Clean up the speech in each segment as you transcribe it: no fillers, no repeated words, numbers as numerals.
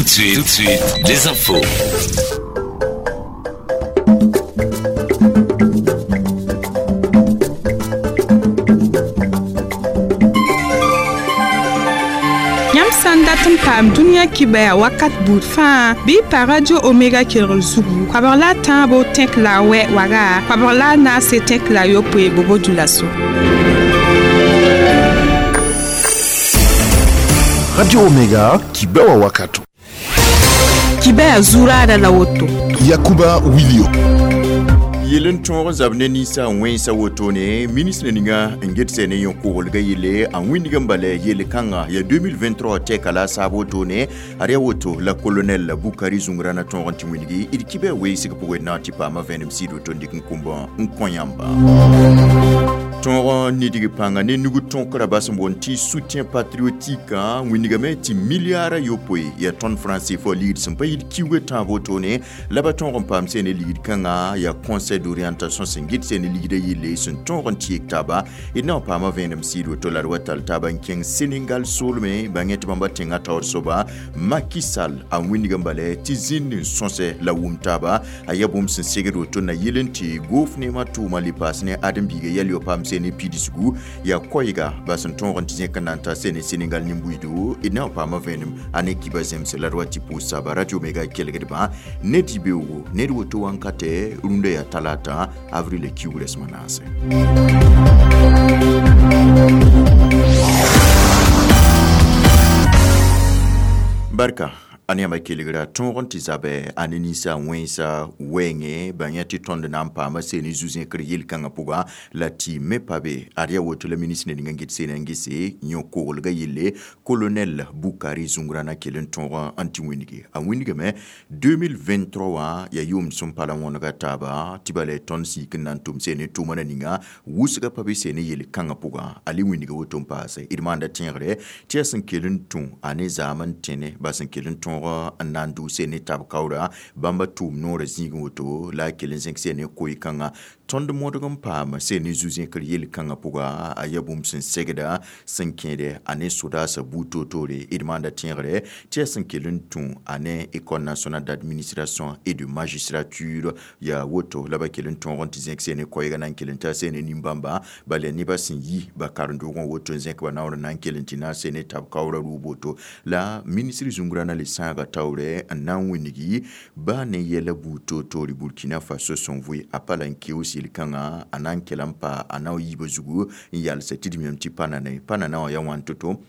Tout de suite, les infos. Yãmb sã n dat n paam dũniyã kibaya wakat buud fãa bɩ y pa Radio Omega kelgr zugu koabg la a tãabo tẽk la a wɛ waga koabg la a naase tẽk la a yopoe bobo dulaso. Radio Omega kibewa wakato. Kibaya zuraada la woto. Yakuba Wilio. Yel n tõog n zab ne ninsã wẽnsa wotone ministre ninga n get sẽne yõ-koglga yelle a wĩndg n bala yel kãnga ya 2023 tɛka la a saab wotone ad yaa woto la colonel Bukari Zungrana tõog n tɩ wĩndgi d kibã weesg pʋgẽ na tɩ paama vẽenem sɩd woto n dɩk n kũmbã n kõ yãmba. Tõog nidg pãnga ne nug tõkra bas n boond tɩ soutien patriotique wĩndgame tɩ milliard yopoe ya tõnd franc CFA ligd sẽn pa yit kiuga tãab wotone la ba tõog n paam sẽne ligd kãnga ya conseil d'orientation sẽn gɩt sẽne ligda yelle sẽn tõog n tɩ yek taaba d na n paama vẽenem sɩd woto la d wa tall taaba n kẽng Senegal soolme bãng tɩ bãmba tẽngã taoor soaba Macky Sall a wĩndg n bala tɩ zĩnd n sõsɛ la wʋm taaba a yaa bũmb sẽn segd woto na yel n tɩ goof neemã tʋʋma le paas ne ãdem-biiga yɛl yo paam sene pidisgu ya koiga ba sẽn tõog n tɩ zẽk n na n ta sene Senegal nin-buiido d na n paama vẽenem a ne kiba zemse la d wa tɩ pʋʋs saaba Radio Omega kelgdbã ne dɩ-beoogo ned woto wãnkatɛ rũndã yaa talata avril kiuug rɛsem a naase. Barka a ne yãmba kelgra tõog n tɩ zabɛ a ne ninsã wẽnsa wɛɛngẽ bãng tɩ tõnd na n paama seen zu-zẽkr yel-kãngã pʋga la tɩ me pa be ad yaa woto la ministre ning n get seen n gese yõ-koglga yelle colonel Bukari Zungrana kell n tõog n tɩ wĩndge a wĩndgame 2023 wã yaa yʋʋm sẽn pa la wõnega taaba tɩ bala tõnd sik n na n tʋm seen tʋʋma na ninga wʋsga pa be seen yel-kãngã pʋga a le wĩndga woto n paase d maanda tẽegre tɩ yaa sẽn kell n tũ a ne zaam n tẽne ba sẽn kell n tõog n na n dʋʋ sene tab kaoora bãmba tʋʋm noorã zĩigẽ woto la a kell n zẽk sene koe-kãngã tõnd modg n paam sene zu-zẽkr yel-kãngã pʋga a yaa bũmb sẽn segda sẽn kẽede a ne sodaasã buud toor-toore d maanda tẽegre tɩ yaa sẽn kell n tũ a ne École nationale d'administration et de magistrature yaa woto la ba kell n tõog n tɩ zẽk sene koɛɛgã na n kell n ta sene nin-bãmba bala nebã sẽn yi ba karen-doogẽ woto n zẽk ba naoor n na n kell n tɩ na n sene tab kaoorã rʋʋb woto la ministre Zungrana le sãaga taoorɛ n na n wĩndgi baa ne yɛla buud toor-toore Burkina Faso sẽn vʋɩ a pa la n keoos yel-kãngã a na n kell n pa a na n yiibã zugu n yalsa tɩ d miame tɩ pa nane pa nana wã yaa wãn to-to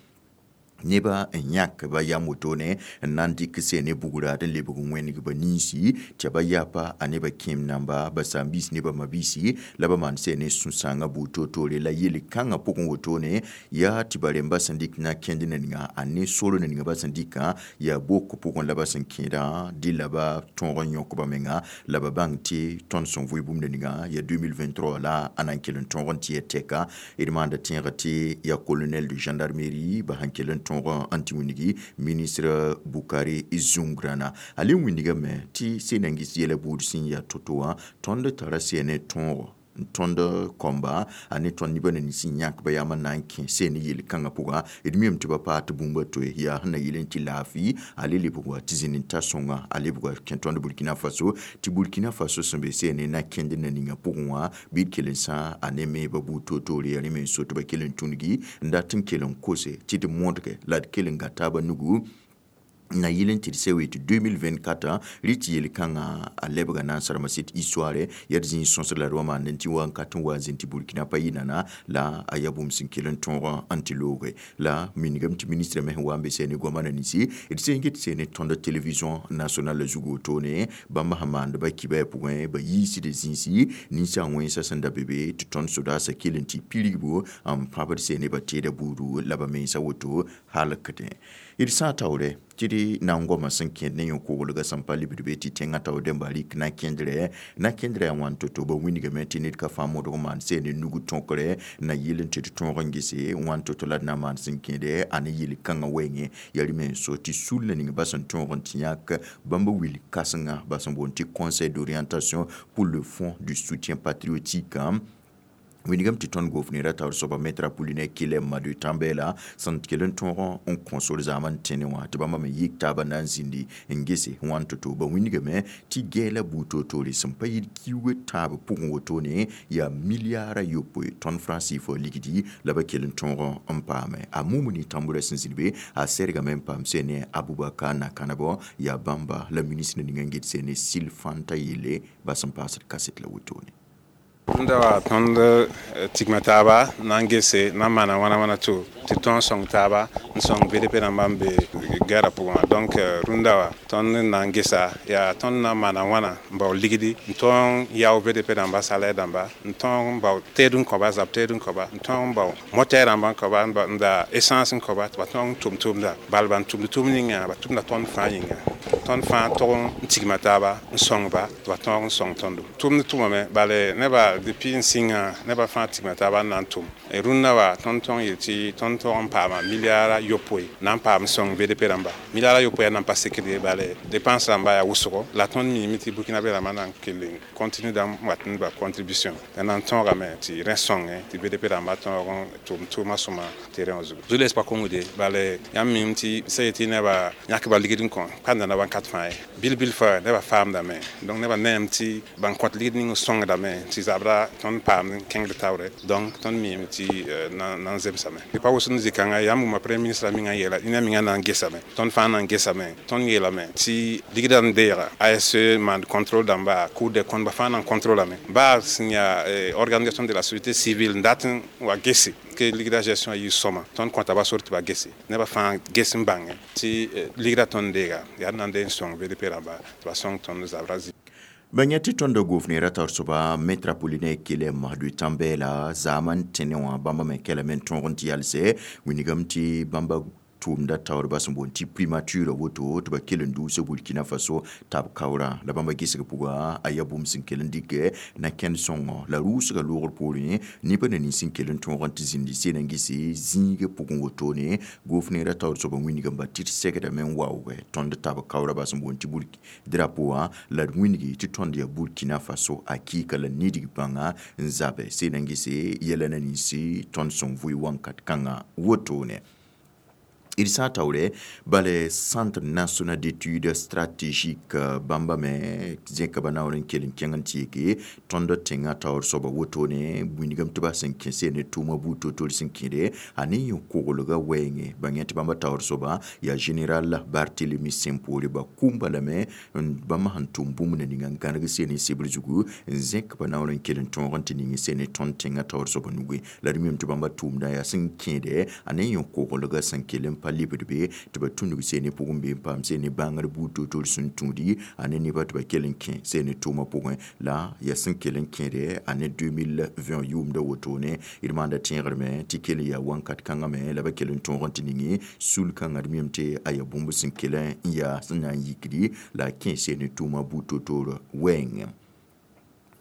neba n yãk ba yam wotone n na n dɩk sene bugraad n lebg n wẽneg ba ninsi tɩ ba yapa a nebã kẽem namba ba saam-biis nebã mabiisi la ba maan sene sũ-sãangã buud toor-toore la yel-kãngã pʋgẽ wotone yaa tɩ ba rẽmba sẽn dɩk na kẽnd ninga a ne sor ninga ba sẽn dɩkã yaa bok pʋgẽ la ba sẽn kẽedã dɩ la ba tõog n yõk ba menga la ba bãng tɩ tõnd sẽn vʋɩ bũmb ninga yaa 2023 la a na n kell n tõog n tɩ ya tɛka d maanda tẽega tɩ yaa colonel de gendarmerie ba sẽn kell n tõog n tɩ wĩndgi ministre Bukari Zungrana a le wĩndgame tɩ sẽn na n gis yɛla buud sẽn yaa to-to wã tõnd tara sẽne tõogo tõnd kõmba a ne tõnd nebã nins n yãk ba yam n na n kẽ seen yel-kãngã pʋga d miame tɩ ba paa tɩ bũmba toe yaa sẽn na yel n tɩ laafɩ a le lebg wa tɩ zĩnd n ta sõnga a lebg wa kẽ tõnd Burkina Faso tɩ Burkina Faso sẽn be seene na kẽnd na ninga pʋgẽ wã bɩ d kell n sã a ne meeba buud toor-toore yaa rẽ me n so tɩ ba kell n tũngi n dat n kell n kose tɩ d modge la d kell n ga taabã nugu na yel n tɩ d sɛ wee tɩ 2024 rɩ tɩ yel-kãngã a lebga na n sarma sɩd histoire yaa d zĩig sõsd la d wa maand n tɩ wa n kat n wa n zĩnd tɩ Burkina pa yɩ nana la a yaa bũmb sẽn kell n tõog n tɩ looge la mingame tɩ ministre me sẽn wa n be sɛne goamã na ninsi d sẽn get sene tõnd télévision nationale zugu wotone bãmb sẽn maand ba kibã pʋgẽ ba yiisd zĩisi ninsã wẽnsã sẽn da be be tɩ tõnd sodaasã kell n tɩ pirgbo n pãbd sene ba teeda buudu la ba mensa woto halkdẽ d sã taoore tɩ d na n goamã sẽn kẽed ne yõ-koglgã sẽn pa libd be tɩ tẽngã taoor dẽmba rɩk na kẽndrã yaa wãn to-to ba wĩndgame tɩ ned ka fãa modg n maan seen nug tõkre na yel n tɩ d tõog n gese wãn to-to la d na n maan sẽn kẽede a ne yel-kãngã wɛɛngẽ yaa rẽ me n so tɩ sul ning ba sẽn tõog n tɩ yãk bãmb wil kãsenga ba sẽn boond tɩ conseil d'orientation pour le fonds du soutien patriotique. Winigame tɩ tõnd gofnera taoor soaba maître Apollinaire Kyelem Madu Tambèla sẽn kell n tõog n kõ sor zaam n tẽne wã tɩ bãmba me yik taabã na n zĩndi n gese wãn to-to. Ba wingame tɩ gɛɛla buud toor-toore sẽn pa yit kiuug tãab pʋgẽ wotone yaa milliard 7 tõnd franc CFA ligdi la ba kell n tõog n paame. A Mumuni Tambura sẽn zĩnd be a sɛrgame n paam sene Abubakar Nakanabɔ yaa bãmba la ministre ning n get sene Sil Fanta yelle ba sẽn paasd kaset la wotone. Rũndã wa tõnd tigma taaba na n gese na n maana wãna wãna to tɩ tõog n sõng taaba n sõng BDP rãmbã n be gɛɛrã pʋgẽ wã. Donc rũndã wa tõnd n na n gesa yaa tõnd na n maana wãna n bao ligdi n tõog n yao BDP rãmba salaire dãmba, n tõog n bao teed n kõba, zab teed n kõba, n tõog n bao motɛɛ rãmba n kõba, n da essence n kõba tɩ ba tõog n tʋm tʋmda. Bal ban tʋmd tʋm ninga ba tʋmda tõnd fãa yĩnga, tõnd fãa tog n tigma taaba n sõngba tɩ ba tõog n sõng tõndo. Tʋmd tʋmame bale nebã depuis n sĩnga nebã fãa tigma taaba n na n tʋm. Rũndã wa tõnd tõog yel tɩ tõnd tõog n paama milliard 7 na n paam sõng BDP rãmba. Milliard 7 yaa nan pa sekd ye, bale dépense rãmba yaa wʋsgo la tõnd miime tɩ Burkina be rãmbã na n kell n continue dãmb wat n ba contribution la na n tõogame tɩ rẽ sõnge tɩ BDP rãmba tõog n tʋm tʋʋmã sõma terrain wã zugu. Zu-loees pa kongde, bale yãmb miime tɩ sã yetɩ nebã yãkba ligd n kõ pa nana wãnkat fãa ye, bil-bil fa nebã faamdame. Donc nebã neem tɩ ban kõt ligd ning sõngdame tɩ zabra tõnd paam kẽngd taoore. Donc tõnd miime tɩ na n zemsame. Pa wʋsem zĩ-kãngã yãmb wʋma premier ministre mingã yeela ned mingã na n gesame, tõnd fãa na n gesame. Tõnd yeelame tɩ ligdã n deega ASE maan contrôle dãmba, Cour des comptes ba fãa na n contrôlame, baa sẽn yaa organisation de la société civile n dat n wa gese ke ligdã gestion a yɩ sõma. Tõnd kõta ba sor tɩ ba gese, nebã fãa ges n bãnge tɩ ligdã tõnd deega yaa n na n deeg n sõng BDP rãmba tɩ ba sõng tõnd zabra zĩ. Ba yẽ tɩ tõnda gofnera taoor soaba maître Apollinaire Kyelem Madu Tambèla zaam n tẽne wã bãmba me kɛlame n tõog n tɩ yalsɛ wingame tɩ bãmba tʋʋmda taoorba sẽn boond tɩ primature woto tɩ ba kell n duusa Burkina Faso tab kaoorã la bãmba gesg pʋga a yaa bũmb sẽn kell n dɩkɛ na kẽnd sõngo la rʋʋsga loogr poorẽ nebã na nins sẽn kell n tõog n tɩ zĩndi seen n gese zĩigã pʋgẽ wotone. Gofnera taoor soaba wingame ba tɩ d segdame n waoogɛ tõnd tab kaoorã ba sẽn boond tɩ drapeau wã la d wĩngi tɩ tõnd yaa Burkina Faso a kɩɩka la nidg bãnga n zabɛ seen n gese yɛla na ninsi tõnd sẽn vʋɩ wãnkat kãngã wotone. D sã n taoore bale Centre national d'études stratégiques bãmba me zẽka ba naoor n kell n kẽng n tɩ yeke tõnd tẽngã taoor soaba wotone wingame tɩ ba sẽn kẽ ne tʋʋma buud toor-toor sẽn kẽde a ne yõ-koglgã wɛɛngẽ. Ba yẽ tɩ bãmba taoor soaba yaa général Barthélemy Simpore ba kũmba lame bãmba sẽn tʋm bũmb na ninga n gãneg sene sebr zugu n zẽk ba naoor n kell n tõog n tɩ ning sene tõnd tẽngã taoor soaba nugẽ la d mim tɩ bãmba tʋʋmdã yaa sẽn kẽede a ne yõ-koglgã sẽn kell n pa lebd be tɩ ba tũnug sene pʋgẽ be n paam sene bãngr buud toor-toor sẽn tũudi a ne nebã tɩ ba kell n kẽ sene tʋʋmã pʋgẽ la yaa sẽn kell n kẽede a ne 2020 yʋʋmda wotone. D maanda tẽegrame tɩ kell yaa wãnkat kãngã me la ba kell n tõog n tɩ ninge sul-kãngã d mim tɩ a yaa bũmb sẽn kell n yaa sẽn na n yikdi la a kẽ sene tʋʋmã buud toor-toor wɛɛngẽ.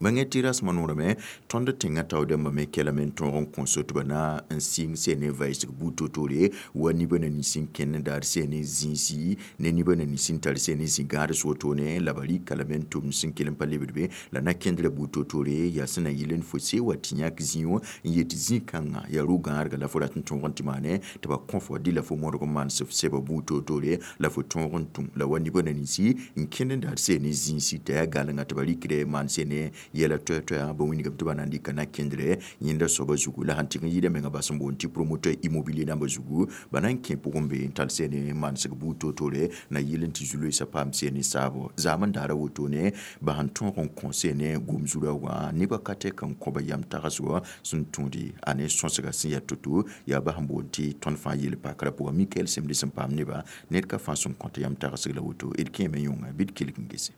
Bãngẽ tɩ rasmã noorame tõnd tẽngã taoor dãmbã me kɛlame n tõog n kõ so tɩ ba na n sɩng sene vaɩsg buud toor-toore wa nibã na nins n kẽnd n daar sene zĩisi ne nibã na nins n tar sene zĩ-gãads wotone la ba rɩka lame n tʋmd sẽn kell n pa lebd be la na kẽndrã buud toor-toore yaa sẽn na yɩl n fo see wa tɩ yãk zĩig n yet zĩ-kãngã yaa ro-gãadga la fo rat n tõog n tɩ maane tɩ ba kõ fo dɩ la fo modg n maan f sɛba buud toor-toore la fo tõog n tũm la wa nibã na ninsi n kẽnd n daar sene zĩisi t'a yaa galenga tɩ ba rɩkdɛ maan sene yɛla toɛ-toɛa ba wingame tɩ ba na n dɩka na kẽndrɛ yẽnda soaba zugu la sãn tɩg n yɩɩda menga bas n boond tɩ promoteur immobilier dãmbã zugu ba na n kẽ pʋgẽ be n tall sene manesg buud toor-toore na yɩl n tɩ zu-loeesã paam sene saabo zaam n daara wotone ba sẽn tõog n kõ sene gom zurã wã nebã ka tɛk n kõba yam tagsgɔ sẽn tũudi a ne sõsga sẽn yaa to-to yaa ba sẽn boond tɩ tõnd fãa yel pakrã pʋgã Mikael Semde sẽn paam nebã ned ka fãa sẽn kõt yam tagsg la woto d kẽeme yõnga bɩ d kelg n gese.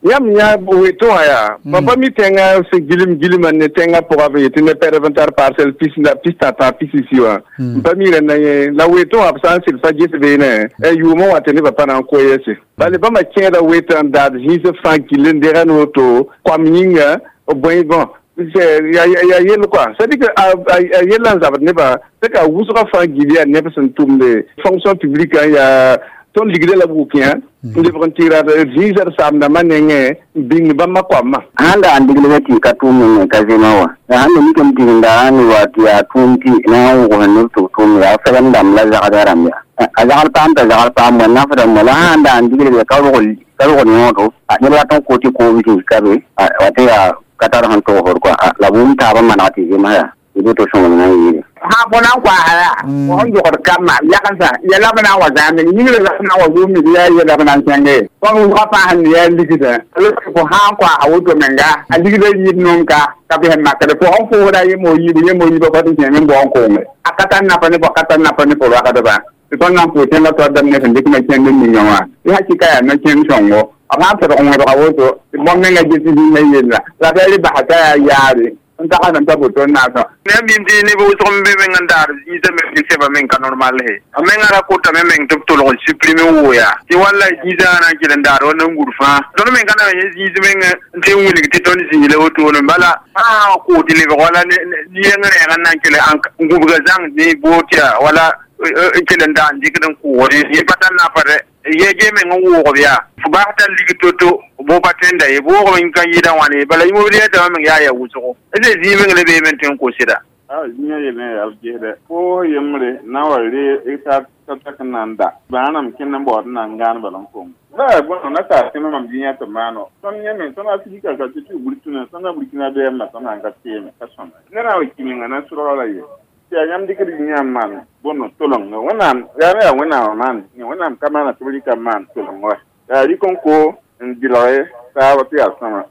Yãmb yã weto wã yaa pa mi tẽngã sẽn gilem gilmã ne tẽngã pʋgã b yetɩ ne pɛdb n tar parcelle pis la pis tã pis wã n pa mi rẽnda yẽ la weto wã b sã n sɩd pa ges beene yʋʋmã wã tɩ nebã pa na n koeese bale bãmba kẽeda wetã n daad zĩis fãa gill n dega ne woto koam yĩnga bõe bõn ya yell quoi, c'est à dire que a yella n zabd nebã tɩ ka wʋsgã fãa gil yaa neb sẽn tʋmde fonction publique yaa Tõnd ligda la b wukẽ n lebg n tɩ ra zĩisa d saamdãmbã nengẽ n bĩng bãmba koamã. Sãn da n diglga tɩ ka tʋʋm mengẽ ka zema wã la sãn da mikame tɩ sẽn da n wa tɩ yaa tʋʋm tɩ na n wʋgs neb tɩ b tʋʋm yaa fɛgem dãmb la zagda rãmb yaa a zagl paam t'a zagl paam wã nafdã la sãn da n diglg ka rog yõodo neb rat n kot tɩ koom zĩig ka be wa tɩ yaa ka tar sẽn togsd kɔa la bũmb taabã maneg tɩ zems yaa tɩ to sõngem na n yɩɩle. Sã fo na n koasa yaa fo sẽn yogd kambã yagensa yɛla b na n wa zãamd yĩngrã la b na n wa yʋʋmd yaa yɛla b na n kẽnge tõnd wʋsgã fãa sẽn yaa ligdã fo sã n koasa woto menga a ligdã yɩɩd noom ka ka bɩs n makd fo sẽn fʋʋsda yem o yiibã pa tɩ kẽem n bao n koonge a ka tar napa ne fo ka tar napa ne fo ragdba tɩ tõnd na n pʋʋs tẽngã toadame ne sẽn dɩk ma kẽnd n ninga wã tɩ hakɩka yaa no-kẽnd sõngo b sã n tɩrg wẽbga woto tɩ bõn-menga ges zĩnga yella la b yaa basa t'a yaa yaare n tagsd n pa boto n naasã. Ne mim tɩ neb wʋsg n be meng n daar zĩisã me tɩ sɛba meng ka normal he a menga ra kotame meng tɩ b tolg n supprime n wooya tɩ walla zĩisã na n kell n daar wa nan-gur fãa tõnd meng ka na n yẽ zĩis meng n tɩ n wilg tɩ tõnd zĩig la wotone bala sã n koot lebg wala yeng rɛɛg n na n kell n gũbga zãng ne boot yaa wala n kell n daa n dɩkd n kʋʋgd yẽ pa tar nafa dɛ ye ge meng n woogb yaa fo bas tar lig to-to bo pa tõenda ye boogb n ka yɩɩda wãne bala yĩmb yɛtame meng yaa ya wʋsgo d zĩig meng la beeme n tõe n kosda. Zĩigã yel yaa b gesdɛ fo yembre na n wa re ta tak n na n da bãanam kẽnd n baood n na n gãan bala n kong la bõe na taa tẽmã mam zĩigã tɩ maano tõnd yẽ me tõnd a fika ka tɩ tɩ burkina tõnd a burkina bɛɛmã tõnd sãn ka teeme ka sõma ned sã n wa ki menga na sʋlga la ye tɩ yaa yãmb dɩkd yã n maan bõn tolengã wẽnnaam yaa me yaa wẽnnaam maan wẽnnaam ka maana tɩ b rɩka n maan toleng wa yaa rɩk n ko n dɩlge taaba tɩ yaa sõma.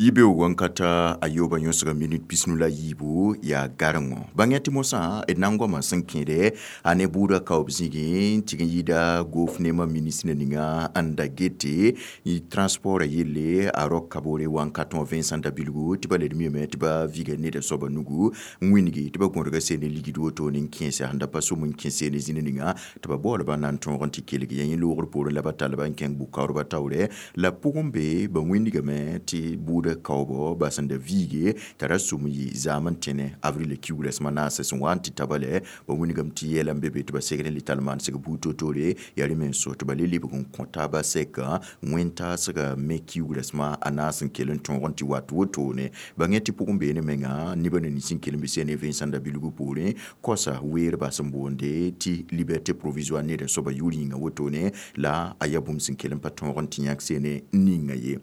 Yibeoogã n ka ta a yoobã yõsga minit pisnu la yiibu yaa garengo bãng tɩ mosã d na n goamã sẽn kẽede a ne buudã kaoob zĩigẽ n tɩg n yɩɩda goofnemã ministrã ninga n da gete transport yelle a rok kabore wa n ka tõog Vincent Dabilgu tɩ ba led miyame tɩ ba viga neda soaba nugu n wĩngi tɩ ba gõdga sene ligd woto ne n kẽese sẽn da pa som n kẽ sene zĩna ninga tɩ ba baoolba na n tõog n tɩ kelg ya yẽ loogr poorẽ la ba tall ba n kẽng bʋ-kaoodbã taoorɛ la pʋgẽ be ba wĩnigame tɩ buudã kaoobo ba sẽn da viige t'a ra sʋm yɩ zaam n tẽne avril kiugra sẽma naasã sẽn wa n tɩ tabale ba wĩnigame tɩ yɛla n be be tɩ ba segd n le tall maansg buud toor-toore yaa rẽ me n so tɩ ba le lebg n kõ taaba sɛka wẽn-taasga me kiugra sẽma a naas n kell n tõog n tɩ wat wotone bãng tɩ pʋgẽ beene menga nebã na nins n kell n be sene Vincent Dabilgu poorẽ kosa weerba sẽn boonde tɩ liberté provisoire neda soaba yʋʋr yĩnga wotone la a yaa bũmb sẽn kell n pa tõog n tɩ yãk sene n ninga ye.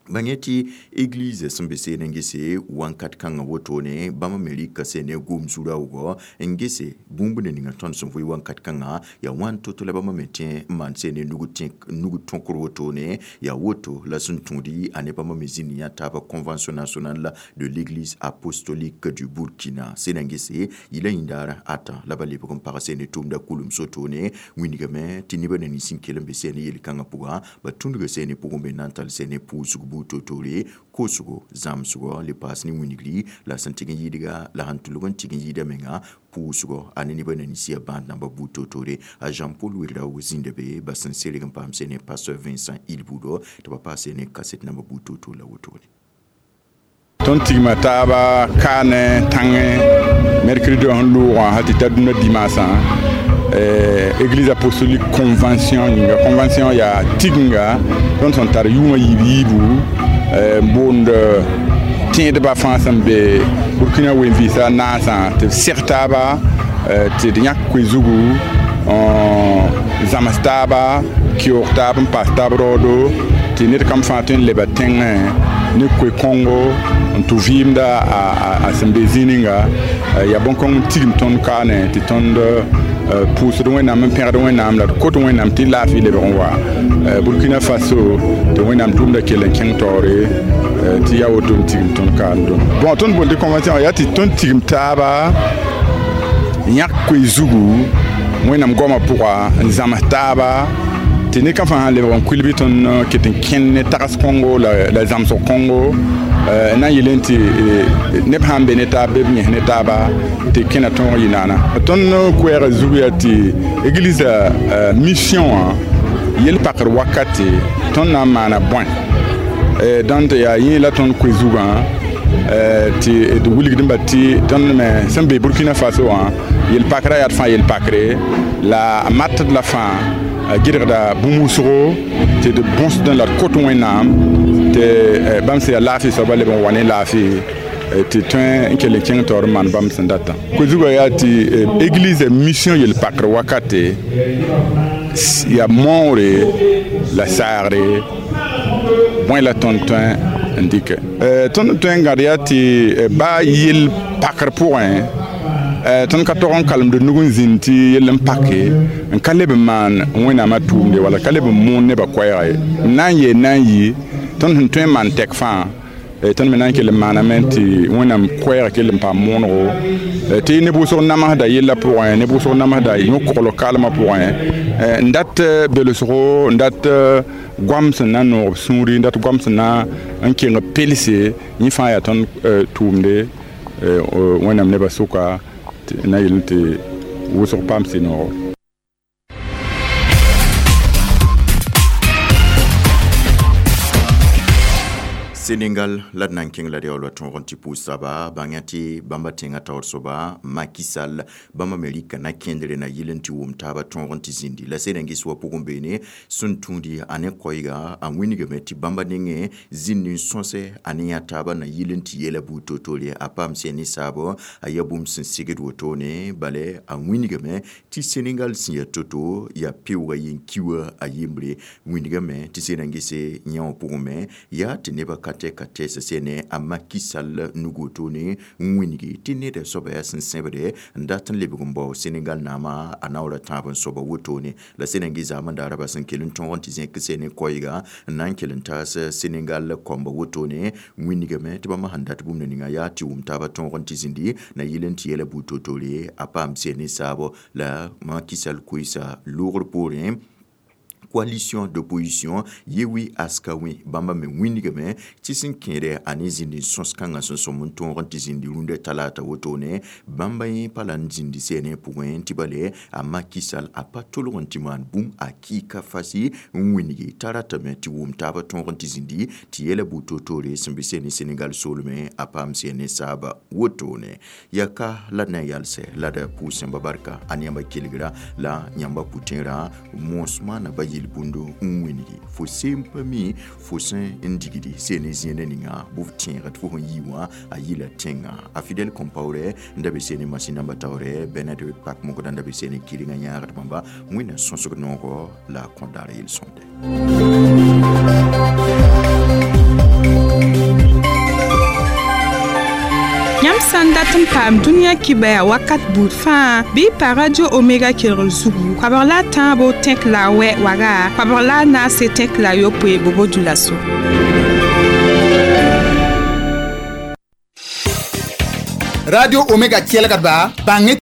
Bãng tɩ église sẽn be seen n gese wãnkat kãngã wotone bãmb me rɩka sene gom zu-raoogɔ n gese bũmb ne ninga tõnd sẽn vʋɩ wãnkat kãngã yaa wãn to-to la bãmb me tẽ n maan sene nug tõkr wotone yaa woto la sẽn tũudi a ne bãmb me zĩnd yã taaba convention nationale de l'église apostolique du Burkina sena n gese yɩla yĩndaar ata la ba lebg n pag sene tʋʋmda kulum sotone wĩnigame tɩ nebã na nins n kell n be sene yel-kãngã pʋga ba tũndga sene pʋgẽ be na n tall sene pʋʋsg buud toor-toore koosgo zãmsgɔ le paas ne wĩnigri la sẽn tɩg n yɩɩdga la sẽn tʋlg n tɩg n yɩɩda menga pʋʋsgɔ a ne nebã na nins yaa bãad namba buud toor-toore a Jean-Paul Ouedraogo zĩnda be ba sẽn serg n paam sene pasteur Vincent Ilbudo tɩ ba paas sene kaset namba buud toor-toor la wotone. Tõnd tigma taaba kaane tãngẽ mercredi sẽn loogã hal tɩ ta dũnna dimaasã église apostolique convention yĩnga convention yaa tiginga tõnd sẽn tar yʋʋmã yiib yiibu n boond tẽedbã fãa sẽn be Burkina wen-vɩɩsã naasã tɩ b seg taaba tɩ d yãk koe zugu n zãms taaba keoog taab n paas taab raoodo tɩ ned kam fãa tõe n leba tẽngẽ ne koe-kõngo n tʋ vɩɩmda a sẽn be zĩig ninga yaa bõn-kõng n tigim tõnd kaane tɩ tõnd pʋʋsd wẽnnaam n pẽgd wẽnnaam la d kot wẽnnaam tɩ laafɩ lebg n wa Burkina Faso tɩ wẽnnaam tʋʋmda kell n kẽng taoore tɩ yaa woto n tigim tõnd kaan dõm bõn tõnd boond tɩ convention yaa tɩ tõnd tigim taaba yãk koe zugu wẽnnaam goamã pʋga n zãms taaba tɩ ned kam fãa sãn lebg n kuil bɩ tõnd ket n kẽnd ne tags kõngo la zãmsg kõngo na n yɩl tɩ neb sãn be ne taab bɩ b yẽs ne taaba tɩ kẽna tõog yɩ naana tõnd koɛɛgã zug yaa tɩ église mission wã yel-pakr wakate tõnd na n maana bõe dãnd yaa yẽ la tõnd koe zugã Tɩ d wilgdẽmba tɩ tõnd me sẽn be Burkina Faso wã yel-pakrã yaa d fãa yel-pakre la a matd la fãa a gɩdgda bũmb wʋsgo tɩ d bõsdẽ la d kot Wẽnnaam tɩ bãmb sẽn yaa laafɩ soabã leb n wa ne laafɩ tɩ tõe n kell n kẽng taoor n maan bãmb sẽn datã. Ko-zugã yaa tɩ église mission yel-pakr wakate yaa moore la saagre bõe la tõnd tõe n dɩkɛ tõnd tõe n gãd yaa tɩ baa yel-pakr pʋgẽ tõnd ka tog n kalemd nug n zĩnd tɩ yell n pake n ka leb n maan Wẽnnaamã tʋʋmde wala ka leb n moon nebã koɛɛga ye n na n yeel na n yɩ tõnd sẽn tõe n maan tɛk fãa tõnd me na n kell n maaname tɩ Wẽnnaam koɛɛg kell n paam moonego tɩ neb wʋsg namsda yellã pʋgẽ neb wʋsg namsda yõ-koglg kaalmã pʋgẽ n dat belsgo n dat goam sẽn na n noog b sũuri n dat goam sẽn na n keng pelse yẽ fãa yaa tõnd tʋʋmde Wẽnnaam nebã sʋka na yel tɩ wʋsg paam sɩ-noogo. Senegal la d na n kẽng la d yaool wa tõog n tɩ pʋʋs soaba bãng tɩ bãmba tẽngã taoor soaba Macky Sall bãmba me rɩka na kẽndre na yɩl n tɩ wʋm taabã tõog n tɩ zĩndi la Senengis wa pʋgẽ beene sẽn tũudi a ne koɛɛga a wilgame tɩ bãmba nengẽ zĩnd n sõse a ne yã taabã na yɩl n tɩ yeela buud toor-toore a paam sẽn ne saabo a yaa bũmb sẽn segd wotone bala a wilgame tɩ Senegal sẽn yaa to-to yaa peooga yen-kiuwa a yembre wilgame tɩ Senengis yã wã pʋgẽ me yaa tɩ nebã ka ka tɛɛsã sẽne a Macky Sall nug wotone n wilgi tɩ neda soaba yaa sẽn sẽbde n dat n lebg n bao Senegal naamã a naoora tãab n soaba wotone la Senengi zaam n daara bas n kell n tõog n tɩ zẽk sene koɛɛga n na n kell n taas Senegal kɔmba wotone wilgame tɩ bãmb sẽn dat bũmb ninga yaa tɩ wʋm taabã tõog n tɩ zĩndi na yɩl n tɩ yeela buud toor-toore a paam sene saabo la Macky Sall koeesa loogr poorẽ coalition d'opposition Yewwi Askan Wi bãmba me wilgame tɩ sẽn kẽede a ne zĩnd n sõs kãngã sẽn sõm n tõog n tɩ zĩndi rũndã talaata wotone bãmba yẽ pa la n zĩndi sɛɛne pʋgẽ tɩ bale a Macky Sall a pa tolg n tɩ maan bũmb a kɩɩka fasi n wilgi t'a ratame tɩ wʋm taabã tõog n tɩ zĩndi tɩ yeela buud toor-toore sẽn be sɛɛne Senegal soolmẽ a paam sɛɛne saaba wotone yaa ka la d na n yalsɛ la d pʋʋs yãmba barka a ne yãmba kelgra la yãmba pʋtẽerã moos maana ba yel bũndo n wilgi fo seem pa mi fo sẽn n digdi seen zĩena ninga bʋ f tẽegd fo sẽn yi wã a yɩla tẽngã a Fidèle Compaoré n da be seen masĩn namba taoore Bernard pak mokdã n da be seen kɩrengã yãagd bãmba Wẽnnaam sõsg noogo la a kõt daar yel-sõmde. Yãmb sã n dat n paam dũniyã kibaya wakat buud fãa bɩ pa Radio Omega kelgr zugu koabg la a tãabo tẽk la a wɛ waga koabg la a naase tẽk la a yopoe bobo dulaso. Radio Omega kelgdba bãng.